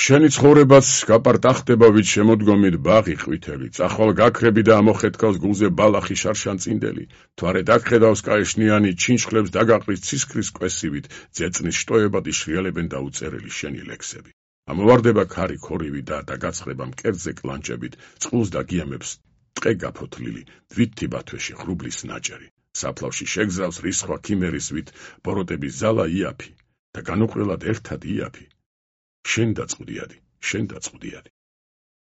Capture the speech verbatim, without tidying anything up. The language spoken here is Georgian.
შენი ცხოვრებაც გაპარტახდება ვით შემოდგომით ბაღი ყვითელი, წახვალ გაქრები და ამოხეთქავს გულზე ბალახი შარშანწინდელი, თვარე დაგხედავს კაეშნიანი, ჩინჩხლებს დაგაყრის ცისქრის კვესივით, ძეწნის შტოებად იშრიალებენ დაუწერელი შენი ლექსები. ამოვარდება ქარი ქორივი და დაგაცხრება მკერდზე კლანჭებით, წყულს დაგიამებს ტყე გაფოთლილი, თვითი ბათვეში ხრუბლის ნაჭერი. საფლავში შეგზავს რისხვა ქიმერისვით, ბოროტების ზალა იაფი და განუყრელად ერთად იაფი. შენ დაწყვდიადი, შენ დაწყვდიადი.